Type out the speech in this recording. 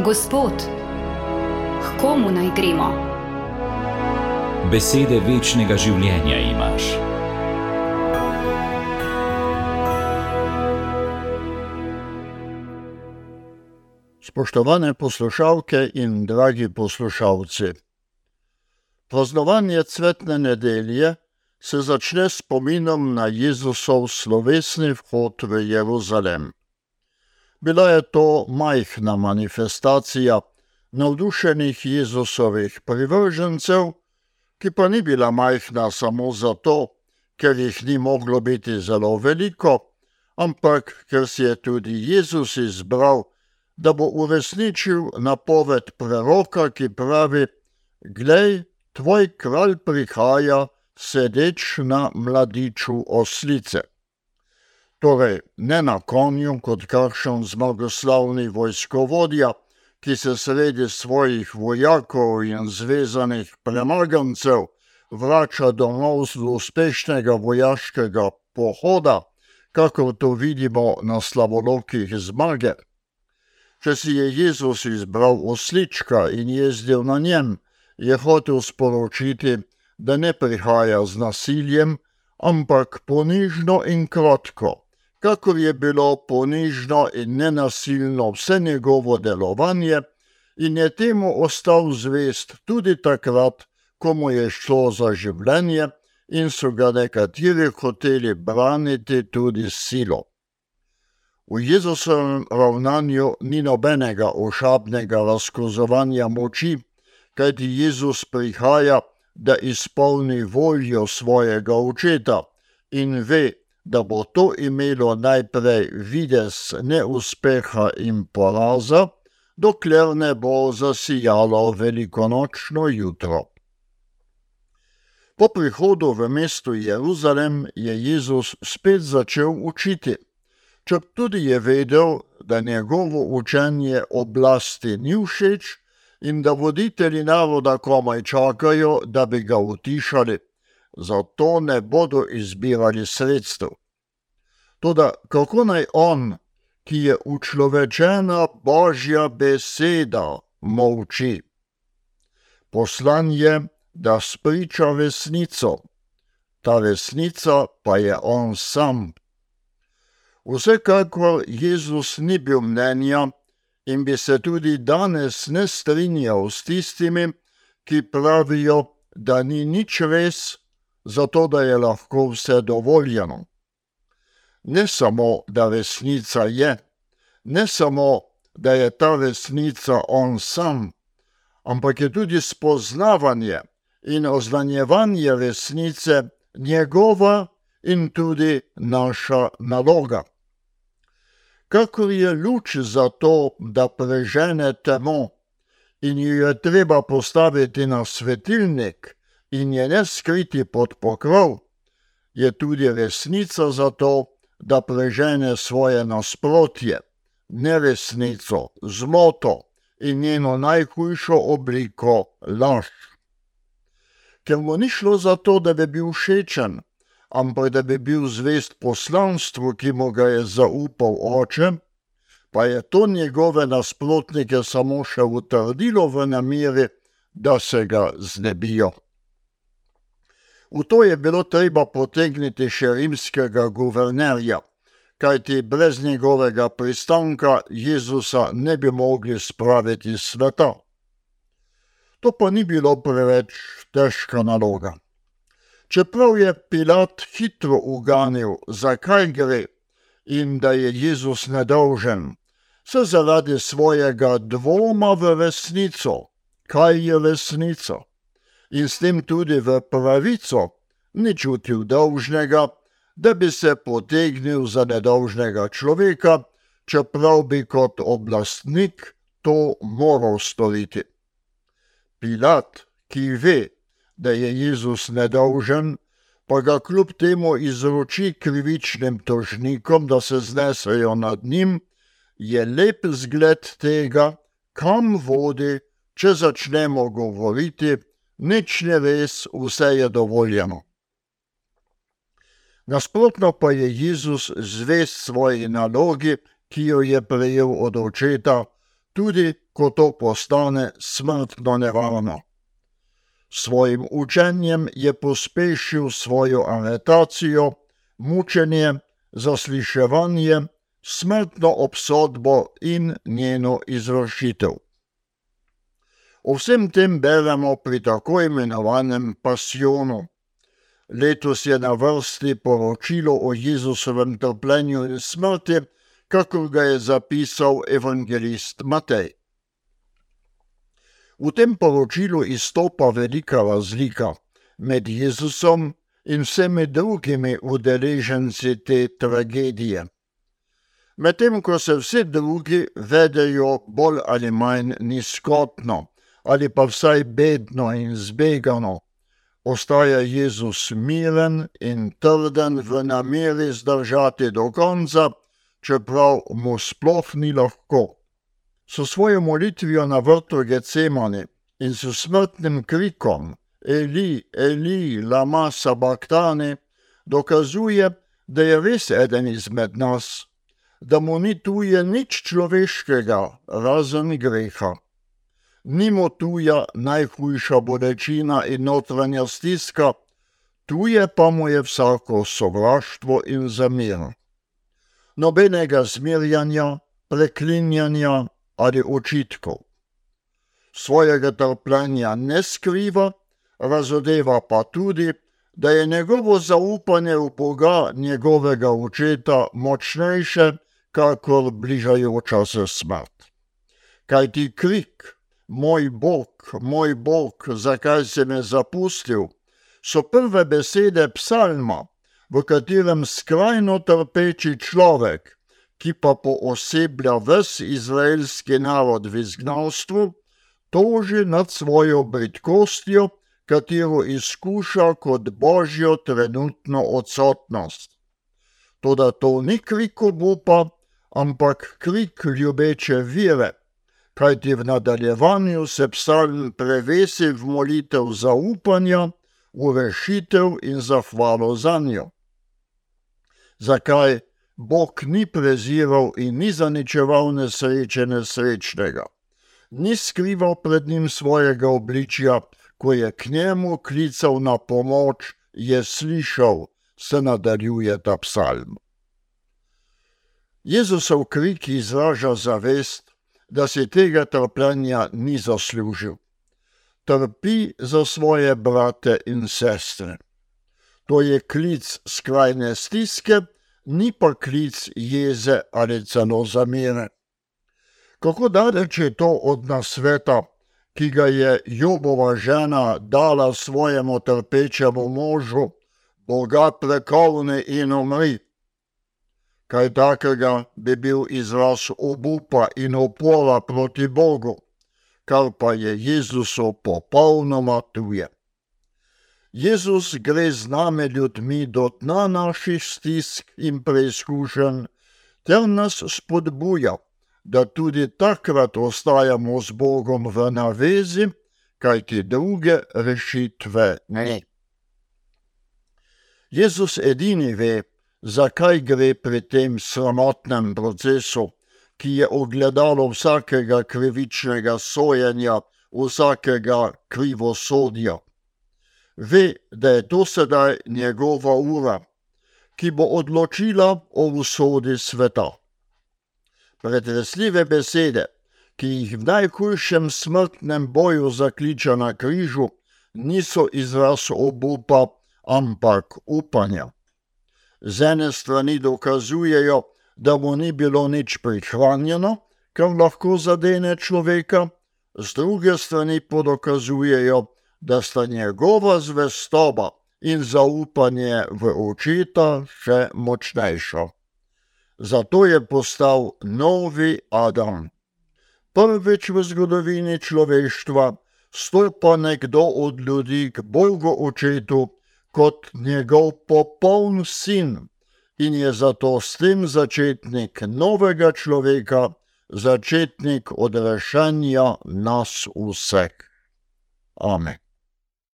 Gospod, k komu naj gremo? Besede večnega življenja imaš. Spoštovane poslušalke in dragi poslušalci, praznovanje cvetne nedelje se začne s spominom na Jezusov slovesni vhod v Jeruzalem. Bila je to majhna manifestacija navdušenih Jezusovih privržencev, ki pa ni bila majhna samo zato, ker jih ni moglo biti zelo veliko, ampak ker si je tudi Jezus izbral, da bo uresničil napoved preroka, ki pravi: "Glej, tvoj kralj prihaja, sedeč na mladiču oslice." Torej, ne na konju kot kakšen zmagoslavni vojskovodja, ki se sredi svojih vojakov in zvezanih premagancev vrača domov z uspešnega vojaškega pohoda, kakor to vidimo na slavolokih zmage. Če si je Jezus izbral oslička in jezdil na njem, je hotel sporočiti, da ne prihaja z nasiljem, ampak ponižno in kratko, kakor je bilo ponižno in nenasilno vse njegovo delovanje, in je temu ostal zvest tudi takrat, ko mu je šlo za življenje in so ga nekateri hoteli braniti tudi s silo. V Jezusovem ravnanju ni nobenega ošabnega razkazovanja moči, kajti Jezus prihaja, da izpolni voljo svojega očeta in ve, da bo to imelo najprej videz neuspeha in poraza, dokler ne bo zasijalo velikonočno jutro. Po prihodu v mesto Jeruzalem je Jezus spet začel učiti, četudi je vedel, da njegovo učenje oblasti ni všeč in da voditelji naroda komaj čakajo, da bi ga utišali, zato ne bodo izbirali sredstev. Toda kako naj on, ki je učlovečena Božja beseda, molči? Poslan je, da spriča resnico, ta resnica pa je on sam. Vsekakor Jezus ni bil mnenja in bi se tudi danes ne strinjal s tistimi, ki pravijo, da ni nič res, zato da je lahko vse dovoljeno. Ne samo, da resnica je, ne samo, da je ta resnica on sam, ampak je tudi spoznavanje in oznanjevanje resnice njegova in tudi naša naloga. Kakor je luč za to, da prežene temo in jo je treba postaviti na svetilnik in je ne skriti pod pokrov, je tudi resnica za to, da prežene svoje nasprotje, neresnico, zmoto in njeno najhujšo obliko, laž. Ker mu ni šlo za to, da bi bil všečen, ampak da bi bil zvest poslanstvu, ki mu ga je zaupal Oče, pa je to njegove nasprotnike samo še utrdilo v nameri, da se ga znebijo. V to je bilo treba potegniti še rimskega guvernerja, kajti brez njegovega pristanka Jezusa ne bi mogli spraviti s sveta. To pa ni bilo preveč težka naloga. Čeprav je Pilat hitro uganil, zakaj gre in da je Jezus nedolžen, se zaradi svojega dvoma v resnico, kaj je resnica, in s tem tudi v pravico, ni čutil dolžnega, da bi se potegnil za nedolžnega človeka, čeprav bi kot oblastnik to moral storiti. Pilat, ki ve, da je Jezus nedolžen, pa ga kljub temu izroči krivičnim tožnikom, da se znesejo nad njim, je lep zgled tega, kam vodi, če začnemo govoriti: nič ni res, vse je dovoljeno. Nasprotno pa je Jezus zvest svoji nalogi, ki jo je prejel od Očeta, tudi ko to postane smrtno nevarno. Svojim učenjem je pospešil svojo aretacijo, mučenje, zasliševanje, smrtno obsodbo in njeno izvršitev. O vsem tem beremo pri tako imenovanem pasionu. Letos je na vrsti poročilo o Jezusovem trpljenju in smrti, kakor ga je zapisal evangelist Matej. V tem poročilu izstopa velika razlika med Jezusom in vsemi drugimi udeleženci te tragedije. Medtem ko se vsi drugi vedejo bolj ali manj nizkotno ali pa vsaj bedno in zbegano, ostaja Jezus miren in trden v nameri zdržati do konca, čeprav mu sploh ni lahko. S svojo molitvijo na vrtu Getsemani in s smrtnim krikom Eli, Eli, lama sabaktani dokazuje, da je res eden izmed nas, da mu ni tuje nič človeškega, razen greha. Ni mu tuja najhujša bolečina in notranja stiska, tuje pa mu je vsako sovraštvo in zamir. Nobenega zmerjanja, preklinjanja ali očitkov. Svojega trpljenja ne skriva, razodeva pa tudi, da je njegovo zaupanje v Boga, njegovega očeta, močnejše, kakor bližajoča se smrt. Kajti krik, moj Bog, zakaj si me zapustil, so prve besede psalma, v katerem skrajno trpeči človek, ki pa pooseblja ves izraelski narod v izgnanstvu, toži nad svojo bridkostjo, katero izkuša kot božjo trenutno odsotnost. Toda to ni krik obupa, ampak krik ljubeče vire, kajti v nadaljevanju se psalm prevesi v molitev zaupanja, v rešitev in zahvalo zanjo. Zakaj Bog ni preziral in ni zaničeval nesreče nesrečnega? Ni skrival pred njim svojega obličja, ko je k njemu klical na pomoč, je slišal, se nadaljuje ta psalm. Jezusov krik izraža zavest, da si tega trpljenja ni zaslužil. Trpi za svoje brate in sestre. To je klic skrajne stiske, ni pa klic jeze ali celo zamere. Kako daleč je to od nasveta, ki ga je Jobova žena dala svojemu trpečemu možu, Boga prekolni in umri. Kaj takega bi bil izraz obupa in upora proti Bogu, kar pa je Jezusu popolnoma tuje. Jezus gre z nami ljudmi do dna naših stisk in preizkušenj, ter nas spodbuja, da tudi takrat ostajamo z Bogom v navezi, kajti druge rešitve ne. Jezus edini ve, zakaj gre pri tem sramotnem procesu, ki je ogledalo vsakega krivičnega sojenja, vsakega krivosodja. Ve, da je to sedaj njegova ura, ki bo odločila o usodi sveta. Pretresljive besede, ki jih v najhujšem smrtnem boju zakliča na križu, niso izraz obupa, ampak upanja. Z ene strani dokazujejo, da mu ni bilo nič prihranjeno, kar lahko zadene človeka, z druge strani pa dokazujejo, da sta njegova zvestoba in zaupanje v očeta še močnejša. Zato je postal novi Adam. Prvič v zgodovini človeštva stopa nekdo od ljudi k Bogu očetu kot njegov popoln sin in je zato s tem začetnik novega človeka, začetnik odrešenja nas vseh. Amen.